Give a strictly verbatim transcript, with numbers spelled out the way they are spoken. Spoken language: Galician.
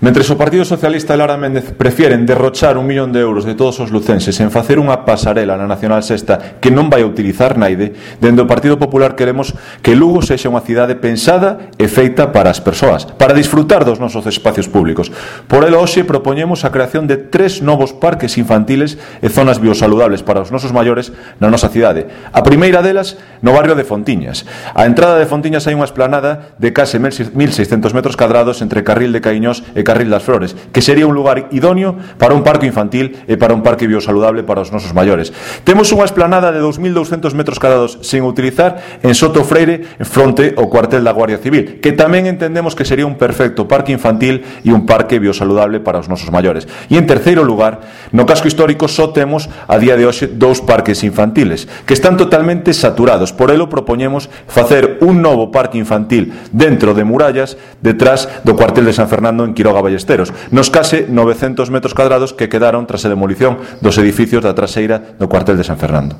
Mentres o Partido Socialista e Lara Méndez prefieren derrochar un millón de euros de todos os lucenses en facer unha pasarela na Nacional Sexta que non vai a utilizar naide, dende o Partido Popular queremos que Lugo sexa unha cidade pensada e feita para as persoas, para disfrutar dos nosos espacios públicos. Por elo, hoxe propoñemos a creación de tres novos parques infantiles e zonas biosaludables para os nosos maiores na nosa cidade. A primeira delas no barrio de Fontiñas. A entrada de Fontiñas hai unha esplanada de case mil seiscentos metros cadrados entre Carril de Caíños e Carril das Flores, que sería un lugar idóneo para un parque infantil e para un parque biosaludable para os nosos maiores. Temos unha esplanada de dous mil douscentos metros cadrados sen utilizar en Soto Freire, fronte ao cuartel da Guardia Civil, que tamén entendemos que sería un perfecto parque infantil e un parque biosaludable para os nosos maiores. E en terceiro lugar, no casco histórico só temos a día de hoxe dous parques infantiles que están totalmente saturados. Por elo propoñemos facer un novo parque infantil dentro de murallas detrás do cuartel de San Fernando en Quiroga Ballesteros, nos case novecentos metros cadrados que quedaron tras a demolición dos edificios da traseira do cuartel de San Fernando.